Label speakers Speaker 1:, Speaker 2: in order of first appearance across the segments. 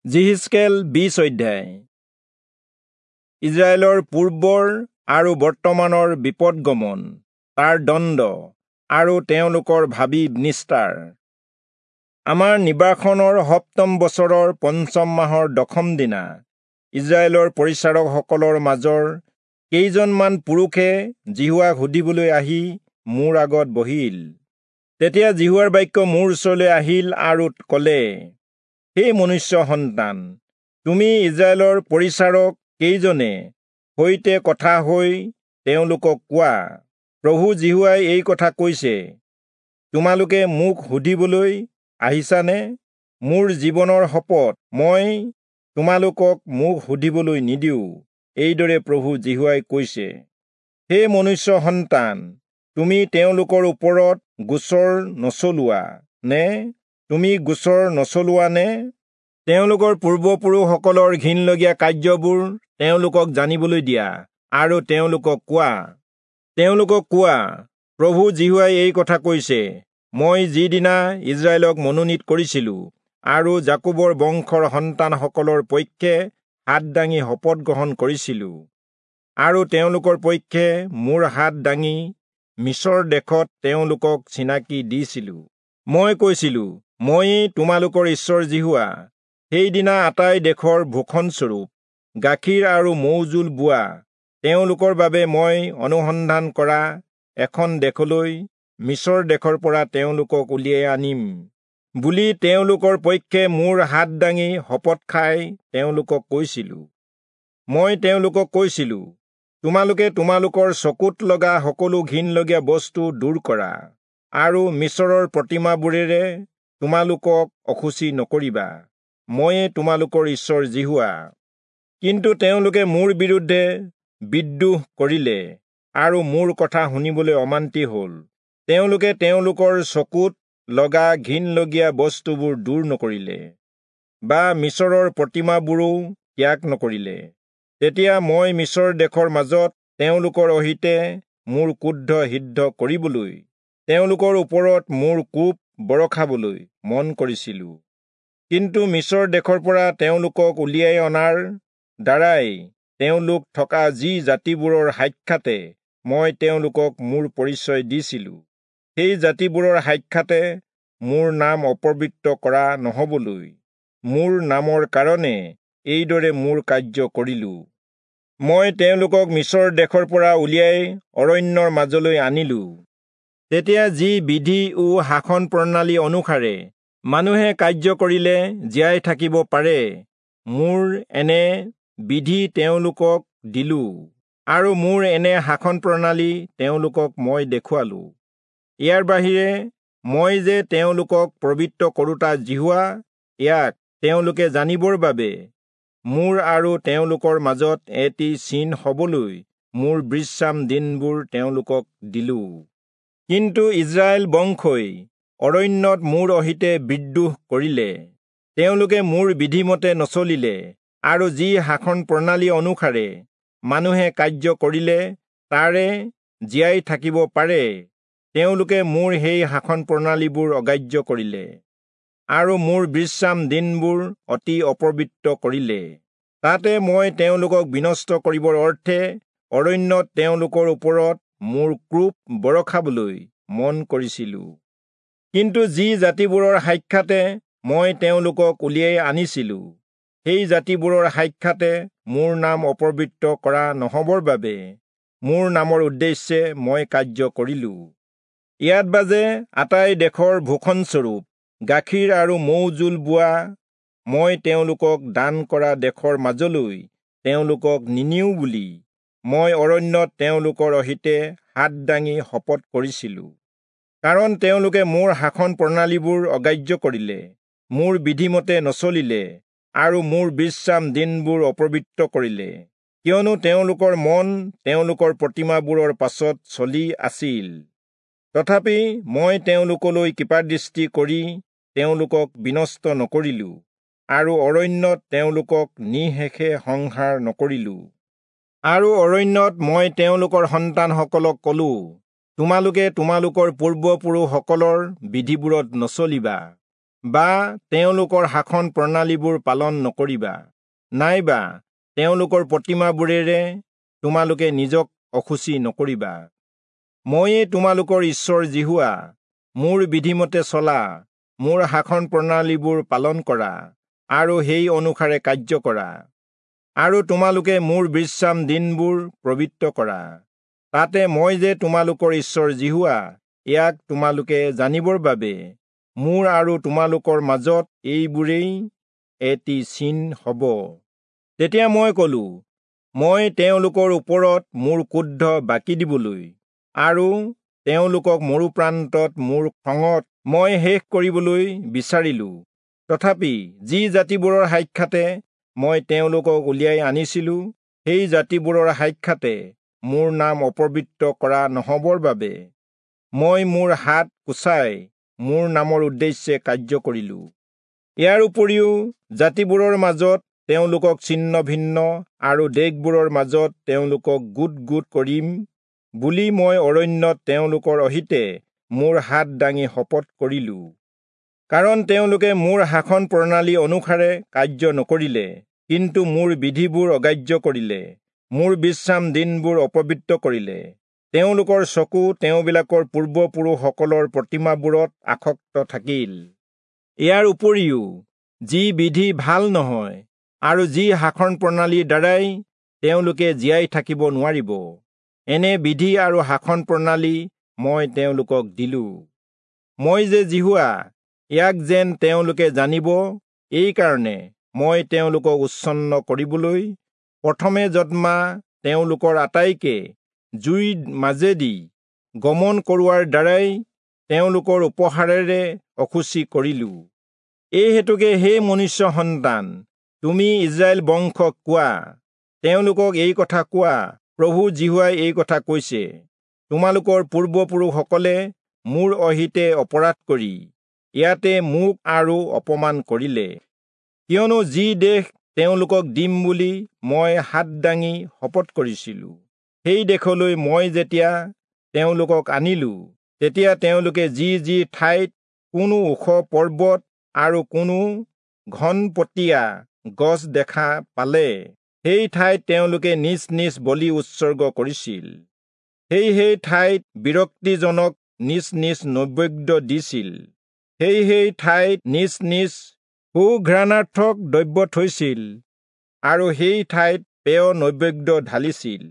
Speaker 1: যিহিষ্কেল 20 অধ্যায়। ইজৰাইলৰ পূৰ্বৰ আৰু বৰ্তমানৰ বিপদগমন, তাৰ দণ্ড আৰু তেওঁলোকৰ ভাবি নিস্তাৰ। আমাৰ নিৰ্বাসনৰ সপ্তম বছৰৰ পঞ্চম মাহৰ দশম দিনা ইজৰাইলৰ পৰিচাৰকসকলৰ মাজৰ কেইজনমান পুৰুষে যিহোৱাক সুধিবলৈ আহি মোৰ আগত বহিল। তেতিয়া যিহোৱাৰ বাক্য মোৰ ওচৰলৈ আহিল আৰু ক'লে, হে মনুষ্য সন্তান, তুমি ইজৰাইলৰ পৰিচাৰক কেইজনে সৈতে কথা হৈ তেওঁলোকক কোৱা, প্ৰভু যিহোৱাই এই কথা কৈছে, তোমালোকে মোক সুধিবলৈ আহিছানে? মোৰ জীৱনৰ শপত, মই তোমালোকক মোক সুধিবলৈ নিদিওঁ, এইদৰে প্ৰভু যিহোৱাই কৈছে। হে মনুষ্য সন্তান, তুমি তেওঁলোকৰ ওপৰত গোচৰ নচলোৱা নে? তুমি গোচৰ নচলোৱা নে? তেওঁলোকৰ পূৰ্বপুৰুষসকলৰ ঘিণলগীয়া কাৰ্যবোৰ তেওঁলোকক জানিবলৈ দিয়া আৰু তেওঁলোকক কোৱা, প্ৰভু যিহোৱাই এই কথা কৈছে, মই যিদিনা ইজৰাইলক মনোনীত কৰিছিলো আৰু যাকোবৰ বংশৰ সন্তানসকলৰ পক্ষে হাত দাঙি শপত গ্ৰহণ কৰিছিলো আৰু তেওঁলোকৰ পক্ষে মোৰ হাত দাঙি মিছৰ দেশত তেওঁলোকক চিনাকি দিছিলো, মই কৈছিলো, ময়েই তোমালোকৰ ঈশ্বৰ যিহোৱা। সেইদিনা আটাই দেশৰ ভূষণস্বৰূপ গাখীৰ আৰু মৌজোল বোৱা তেওঁলোকৰ বাবে মই অনুসন্ধান কৰা এখন দেশলৈ মিছৰ দেশৰ পৰা তেওঁলোকক উলিয়াই আনিম বুলি তেওঁলোকৰ পক্ষে মোৰ হাত দাঙি শপত খাই তেওঁলোকক কৈছিলো। মই তেওঁলোকক কৈছিলো, তোমালোকে তোমালোকৰ চকুত লগা সকলো ঘিণলগীয়া বস্তু দূৰ কৰা আৰু মিছৰৰ প্ৰতিমাবোৰেৰে তোমালোকক অশুচি নকৰিবা, ময়ে তোমালোকৰ ঈশ্বৰ যিহোৱা। কিন্তু তেওঁলোকে মোৰ বিৰুদ্ধে বিদ্ৰোহ কৰিলে আৰু মোৰ কথা শুনিবলৈ অমান্তি হ'ল। তেওঁলোকে তেওঁলোকৰ চকুত লগা ঘিণলগীয়া বস্তুবোৰ দূৰ নকৰিলে বা মিছৰৰ প্ৰতিমাবোৰো ত্যাগ নকৰিলে। তেতিয়া মই মিছৰ দেশৰ মাজত তেওঁলোকৰ অহিতে মোৰ ক্ৰোধ সিদ্ধ কৰিবলৈ, তেওঁলোকৰ ওপৰত মোৰ কোপ বৰষাবলৈ মন কৰিছিলো। কিন্তু মিছৰ দেশৰ পৰা তেওঁলোকক উলিয়াই অনাৰ দ্বাৰাই তেওঁলোক থকা যি জাতিবোৰৰ সাক্ষাতে মই তেওঁলোকক মোৰ পৰিচয় দিছিলো, সেই জাতিবোৰৰ সাক্ষাতে মোৰ নাম অপবিত্ৰ কৰা নহবলৈ মোৰ নামৰ কাৰণে এইদৰে মোৰ কাৰ্য কৰিলো। মই তেওঁলোকক মিছৰ দেশৰ পৰা উলিয়াই অৰণ্যৰ মাজলৈ আনিলো। তেতিয়া যি বিধি ও শাসন প্ৰণালী অনুসাৰে মানুহে কাৰ্য কৰিলে জীয়াই থাকিব পাৰে, মোৰ এনে বিধি তেওঁলোকক দিলো আৰু মোৰ এনে শাসন প্ৰণালী তেওঁলোকক মই দেখুৱালো। ইয়াৰ বাহিৰে মই যে তেওঁলোকক পবিত্ৰ কৰোঁতা যিহোৱা, ইয়াক তেওঁলোকে জানিবৰ বাবে মোৰ আৰু তেওঁলোকৰ মাজত এটি চিন হবলৈ মোৰ বিশ্ৰাম দিনবোৰ তেওঁলোকক দিলো। কিন্তু ইজৰাইল বংশই অৰণ্যত মোৰ অহিতে বিদ্ৰোহ কৰিলে। তেওঁলোকে মোৰ বিধিমতে নচলিলে আৰু যি শাসন প্ৰণালী অনুসাৰে মানুহে কাৰ্য কৰিলে তাৰে জীয়াই থাকিব পাৰে, তেওঁলোকে মোৰ সেই শাসন প্ৰণালীবোৰ অগ্ৰাহ্য কৰিলে আৰু মোৰ বিশ্ৰাম দিনবোৰ অতি অপবিত্ৰ কৰিলে। তাতে মই তেওঁলোকক বিনষ্ট কৰিবৰ অৰ্থে অৰণ্যত তেওঁলোকৰ ওপৰত মোৰ ক্ৰোধ বৰষাবলৈ মন কৰিছিলো। কিন্তু যি জাতিবোৰৰ সাক্ষাতে মই তেওঁলোকক উলিয়াই আনিছিলো, সেই জাতিবোৰৰ সাক্ষাতে মোৰ নাম অপবিত্ৰ কৰা নহবৰ বাবে মোৰ নামৰ উদ্দেশ্যে মই কাৰ্য কৰিলো। ইয়াত বাজে আটাই দেশৰ ভূষণস্বৰূপ গাখীৰ আৰু মৌজোল বোৱা মই তেওঁলোকক দান কৰা দেশৰ মাজলৈ তেওঁলোকক নিনিওঁ বুলি মই অৰণ্যত তেওঁলোকৰ অহিতে হাত দাঙি শপত কৰিছিলো। কাৰণ তেওঁলোকে মোৰ শাসন প্ৰণালীবোৰ অগ্ৰাহ্য কৰিলে, মোৰ বিধিমতে নচলিলে আৰু মোৰ বিশ্ৰাম দিনবোৰ অপবিত্ৰ কৰিলে, কিয়নো তেওঁলোকৰ মন তেওঁলোকৰ প্ৰতিমাবোৰৰ পাছত চলি আছিল। তথাপি মই তেওঁলোকলৈ কৃপাদৃষ্টি কৰি তেওঁলোকক বিনষ্ট নকৰিলো আৰু অৰণ্যত তেওঁলোকক নিঃশেষে সংহাৰ নকৰিলো। আৰু অৰণ্যত মই তেওঁলোকৰ সন্তানসকলক কলো, তোমালোকে তোমালোকৰ পূৰ্বপুৰুষসকলৰ বিধিবোৰত নচলিবা, বা তেওঁলোকৰ শাসন প্ৰণালীবোৰ পালন নকৰিবা, নাইবা তেওঁলোকৰ প্ৰতিমাবোৰেৰে তোমালোকে নিজক অশুচি নকৰিবা। ময়ে তোমালোকৰ ঈশ্বৰ যিহোৱা। মোৰ বিধিমতে চলা, মোৰ শাসন প্ৰণালীবোৰ পালন কৰা আৰু সেই অনুসাৰে কাৰ্য কৰা, আৰু তোমালোকে মোৰ বিশ্ৰাম দিনবোৰ পবিত্ৰ কৰা। তাতে মই যে তোমালোকৰ ঈশ্বৰ যিহোৱা, ইয়াক তোমালোকে জানিবৰ বাবে মোৰ আৰু তোমালোকৰ মাজত এইবোৰেই এটি চিন হ'ব। তেতিয়া মই কলো, মই তেওঁলোকৰ ওপৰত মোৰ ক্ৰোধ বাকি দিবলৈ আৰু তেওঁলোকক মৰুপ্ৰান্তত মোৰ খঙত মই শেষ কৰিবলৈ বিচাৰিলো। তথাপি যি জাতিবোৰৰ সাক্ষাতে মই তেওঁলোকক উলিয়াই আনিছিলো, সেই জাতিবোৰৰ সাক্ষাতে মোৰ নাম অপবিত্ৰ কৰা নহবৰ বাবে মই মোৰ হাত কোচাই মোৰ নামৰ উদ্দেশ্যে কাৰ্য কৰিলো। ইয়াৰ উপৰিও জাতিবোৰৰ মাজত তেওঁলোকক ছিন্ন ভিন্ন আৰু দেশবোৰৰ মাজত তেওঁলোকক গোট গোট কৰিম বুলি মই অৰণ্যত তেওঁলোকৰ অহিতে মোৰ হাত দাঙি শপত কৰিলো। কাৰণ তেওঁলোকে মোৰ শাসন প্ৰণালী অনুসাৰে কাৰ্য নকৰিলে, কিন্তু মোৰ বিধিবোৰ অগ্ৰাহ্য কৰিলে, মোৰ বিশ্ৰাম দিনবোৰ অপবিত্ৰ কৰিলে। তেওঁলোকৰ চকু তেওঁবিলাকৰ পূৰ্বপুৰুষসকলৰ প্ৰতিমাবোৰত আসক্ত থাকিল। ইয়াৰ উপৰিও যি বিধি ভাল নহয় আৰু যি শাসন প্ৰণালীৰ দ্বাৰাই তেওঁলোকে জীয়াই থাকিব নোৱাৰিব, এনে বিধি আৰু শাসন প্ৰণালী মই তেওঁলোকক দিলো। মই যে যিহোৱা, ইয়াক যেন তেওঁলোকে জানিব, এইকাৰণে মই তেওঁলোকক উচ্ছন্ন কৰিবলৈ প্ৰথমে জন্মা তেওঁলোকৰ আটাইকে জুইৰ মাজেদি গমন কৰোৱাৰ দ্বাৰাই তেওঁলোকৰ উপহাৰেৰে অশুচি কৰিলো। এই হেতুকে হে মনুষ্য সন্তান, তুমি ইস্ৰায়েল বংশক কোৱা, তেওঁলোকক এই কথা কোৱা, প্ৰভু যিহোৱাই এই কথা কৈছে, তোমালোকৰ পূৰ্বপুৰুষসকলে মোৰ অহিতে অপৰাধ কৰি ইয়াতে মোক আৰু অপমান কৰিলে। কিয়নো যি দেশ তেওঁলোকক দিম বুলি মই হাত দাঙি শপত কৰিছিলো, সেই দেশলৈ মই যেতিয়া তেওঁলোকক আনিলো, তেতিয়া তেওঁলোকে যি যি ঠাইত কোনো ওখ পৰ্বত আৰু কোনো ঘনপতীয়া গছ দেখা পালে, সেই ঠাইত তেওঁলোকে নিজ নিজ বলি উৎসৰ্গ কৰিছিল। সেই সেই ঠাইত বিৰক্তিজনক নিজ নিজ নৈবেদ্য দিছিল। সেই সেই ঠাইত নিজ নিজ সুঘ্ৰাণাৰ্থক দ্ৰব্য থৈছিল আৰু সেই ঠাইত পেয় নৈবেদ্য ঢালিছিল।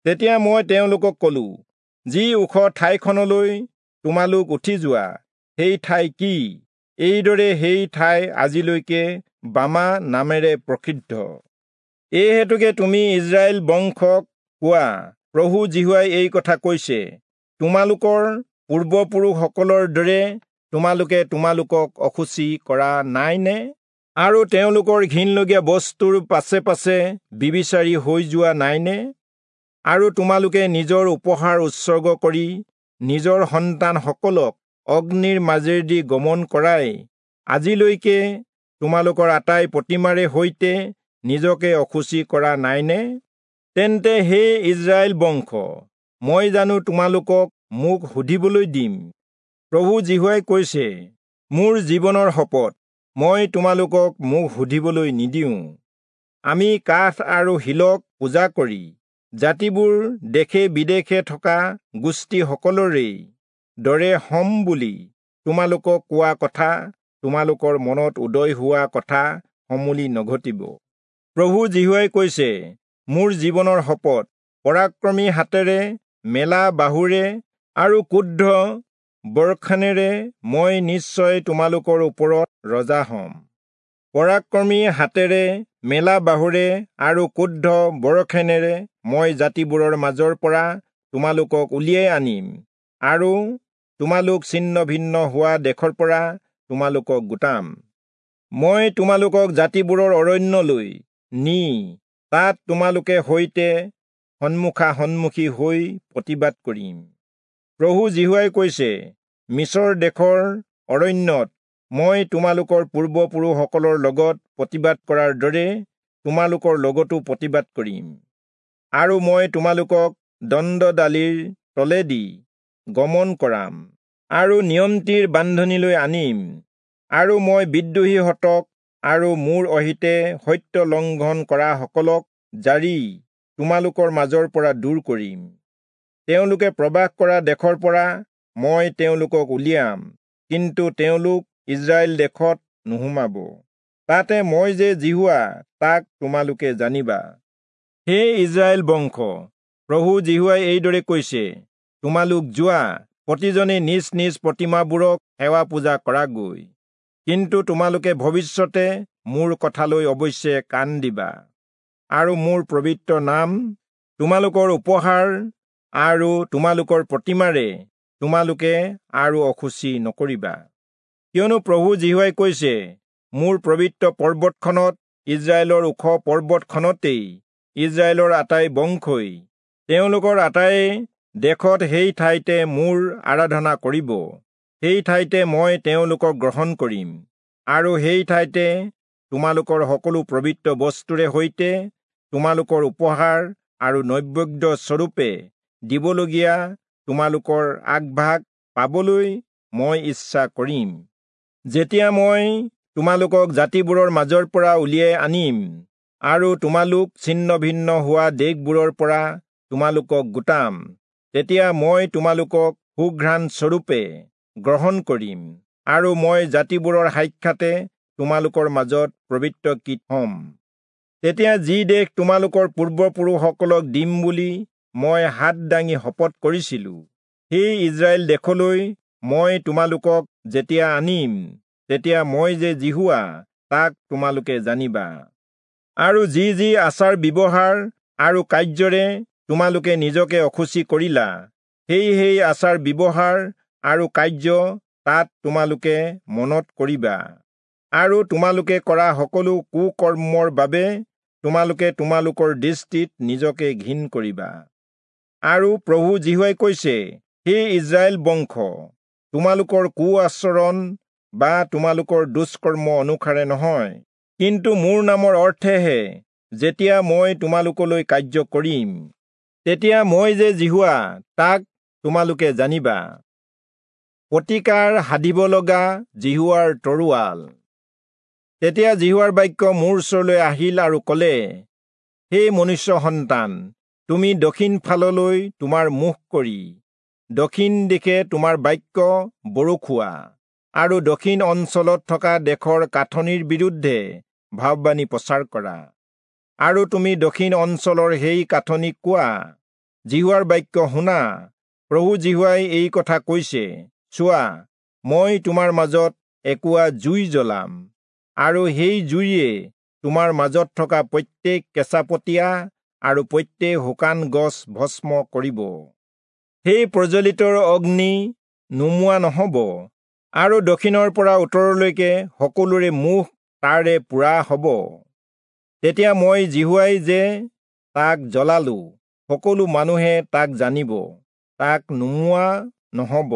Speaker 1: তেতিয়া মই তেওঁলোকক কলো, যি ওখ ঠাইখনলৈ তোমালোক উঠি যোৱা, সেই ঠাই কি? এইদৰে সেই ঠাই আজিলৈকে বামা নামেৰে প্ৰসিদ্ধ। এই হেতুকে তুমি ইস্ৰায়েল বংশক কোৱা, প্ৰভু যিহোৱাই এই কথা কৈছে, তোমালোকৰ পূৰ্বপুৰুষসকলৰ দৰে তোমালোকে তোমালোকক অশুচি কৰা নাইনে? আৰু তেওঁলোকৰ ঘিণলগীয়া বস্তুৰ পাছে পাছে বিবিচাৰী হৈ যোৱা নাইনে? আৰু তোমালোকে নিজৰ উপহাৰ উৎসৰ্গ কৰি নিজৰ সন্তানসকলক অগ্নিৰ মাজেদি গমন কৰাই আজিলৈকে তোমালোকৰ আটাই প্ৰতিমাৰে সৈতে নিজকে অশুচি কৰা নাইনে? তেন্তে হে ইস্ৰায়েল বংশ, মই জানো তোমালোকক মোক সুধিবলৈ দিম? প্ৰভু যিহোৱাই কৈছে, মোৰ জীৱনৰ শপত, মই তোমালোকক মোক সুধিবলৈ নিদিওঁ। আমি কাঠ আৰু শিলক পূজা কৰি জাতিবোৰ দেশে বিদেশে থকা গোষ্ঠীসকলৰেই দৰে হম বুলি তোমালোকক কোৱা কথা তোমালোকৰ মনত উদয় হোৱা কথা সমূলি নঘটিব। প্ৰভু যিহোৱাই কৈছে, মোৰ জীৱনৰ শপত, পৰাক্ৰমী হাতেৰে, মেলা বাহুৰে আৰু ক্ৰুদ্ধ বৰষণেৰে মই নিশ্চয় তোমালোকৰ ওপৰত ৰজা হম। পৰাক্ৰমী হাতেৰে, মেলা বাহুৰে আৰু ক্ৰুদ্ধ বৰষণেৰে মই জাতিবোৰৰ মাজৰ পৰা তোমালোকক উলিয়াই আনিম আৰু তোমালোক ছিন্ন ভিন্ন হোৱা দেশৰ পৰা তোমালোকক গোটাম। মই তোমালোকক জাতিবোৰৰ অৰণ্যলৈ নি তাত তোমালোকে সৈতে সন্মুখা সন্মুখী হৈ প্ৰতিবাদ কৰিম। প্ৰভু যিহোৱাই কৈছে, মিছৰ দেশৰ অৰণ্যত মই তোমালোকৰ পূৰ্বপুৰুষসকলৰ লগত প্ৰতিবাদ কৰাৰ দৰে তোমালোকৰ লগতো প্ৰতিবাদ কৰিম। আৰু মই তোমালোকক দণ্ডডালিৰ তলেদি গমন কৰাম আৰু নিয়ন্ত্ৰীৰ বান্ধনীলৈ আনিম আৰু মই বিদ্ৰোহীহঁতক আৰু মোৰ অহিতে সত্য লংঘন কৰাসকলক জাৰি তোমালোকৰ মাজৰ পৰা দূৰ কৰিম। তেওঁলোকে প্ৰবাস কৰা দেশৰ পৰা মই তেওঁলোকক উলিয়াম, কিন্তু তেওঁলোক ইস্ৰায়েল দেশত নোসোমাব। তাতে মই যে যিহোৱা তাক তোমালোকে জানিবা। হে ইস্ৰায়েল বংশ, প্ৰভু যিহোৱাই এইদৰে কৈছে, তোমালোক যোৱা, প্ৰতিজনে নিজ নিজ প্ৰতিমাবোৰক সেৱা পূজা কৰাগৈ। কিন্তু তোমালোকে ভৱিষ্যতে মোৰ কথালৈ অৱশ্যে কাণ দিবা, আৰু মোৰ পবিত্ৰ নাম তোমালোকৰ উপহাৰ আৰু তোমালোকৰ প্ৰতিমাৰে তোমালোকে আৰু অশুচি নকৰিবা। কিয়নো প্ৰভু যিহোৱাই কৈছে, মোৰ পবিত্ৰ পৰ্বতখনত, ইস্ৰায়েলৰ ওখ পৰ্বতখনতেই ইস্ৰায়েলৰ আটাই বংশই তেওঁলোকৰ আটায়ে দেশত সেই ঠাইতে মোৰ আৰাধনা কৰিব। সেই ঠাইতে মই তেওঁলোকক গ্ৰহণ কৰিম, আৰু সেই ঠাইতে তোমালোকৰ সকলো পবিত্ৰ বস্তুৰে সৈতে তোমালোকৰ উপহাৰ আৰু নৈবেদ্য স্বৰূপে দিবলগীয়া তোমালোকৰ আগভাগ পাবলৈ মই ইচ্ছা কৰিম। যেতিয়া মই তোমালোকক জাতিবোৰৰ মাজৰ পৰা উলিয়াই আনিম আৰু তোমালোক ছিন্ন ভিন্ন হোৱা দেশবোৰৰ পৰা তোমালোকক গোটাম, তেতিয়া মই তোমালোকক সুঘ্ৰাণ স্বৰূপে গ্ৰহণ কৰিম, আৰু মই জাতিবোৰৰ সাক্ষাতে তোমালোকৰ মাজত পবিত্ৰকৃত হ'ম। তেতিয়া যি দেশ তোমালোকৰ পূৰ্বপুৰুষসকলক দিম বুলি মই হাত দাঙি শপত কৰিছিলো, সেই ইস্ৰায়েল দেশলৈ মই তোমালোকক যেতিয়া আনিম, তেতিয়া মই যে যিহোৱা তাক তোমালোকে জানিবা। আৰু যি যি আচাৰ ব্যৱহাৰ আৰু কাৰ্যৰে তোমালোকে নিজকে অশুচি কৰিলা, সেই সেই আচাৰ ব্যৱহাৰ আৰু কাৰ্য তাত তোমালোকে মনত কৰিবা, আৰু তোমালোকে কৰা সকলো কুকৰ্মৰ বাবে তোমালোকে তোমালোকৰ দৃষ্টিত নিজকে ঘিণ কৰিবা। আৰু প্ৰভু যিহোৱাই কৈছে, হে ইস্ৰায়েল বংশ, তোমালোকৰ কু আচৰণ বা তোমালোকৰ দুষ্কৰ্ম অনুসাৰে নহয়, কিন্তু মোৰ নামৰ অৰ্থেহে যেতিয়া মই তোমালোকলৈ কাৰ্য কৰিম, তেতিয়া মই যে যিহোৱা তাক তোমালোকে জানিবা। প্ৰতিকাৰ সাধিব লগা যিহোৱাৰ তৰোৱাল। তেতিয়া যিহোৱাৰ বাক্য মোৰ ওচৰলৈ আহিল আৰু ক'লে, হে মনুষ্য সন্তান, তুমি দক্ষিণ ফাললৈ তোমাৰ মুখ কৰি দক্ষিণ দিশে তোমাৰ বাক্য বৰষুৱা, আৰু দক্ষিণ অঞ্চলত থকা দেশৰ কাঠনিৰ বিৰুদ্ধে ভাৱবাণী প্ৰচাৰ কৰা। আৰু তুমি দক্ষিণ অঞ্চলৰ সেই কাঠনিক কোৱা, যিহোৱাৰ বাক্য শুনা, প্ৰভু যিহোৱাই এই কথা কৈছে, চোৱা, মই তোমাৰ মাজত একোৱা জুই জ্বলাম, আৰু সেই জুইয়ে তোমাৰ মাজত থকা প্ৰত্যেক কেঁচাপতীয়া আৰু প্ৰত্যেক শুকান গছ ভস্ম কৰিব। সেই প্ৰজ্বলিত অগ্নি নুমুৱা নহ'ব, আৰু দক্ষিণৰ পৰা উত্তৰলৈকে সকলোৰে মুখ তাৰে পোৰা হ'ব। তেতিয়া মই যিহোৱাই যে তাক জ্বলালো, সকলো মানুহে তাক জানিব, তাক নুমুৱা নহ'ব।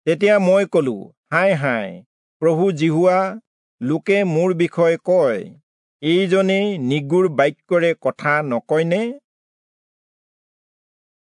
Speaker 1: তেতিয়া মই কলো, হায় হায়, প্ৰভু যিহোৱা, লোকে মোৰ বিষয়ে কয়, এইজনেই নিগুৰ বাক্যৰে কথা নকয়নে?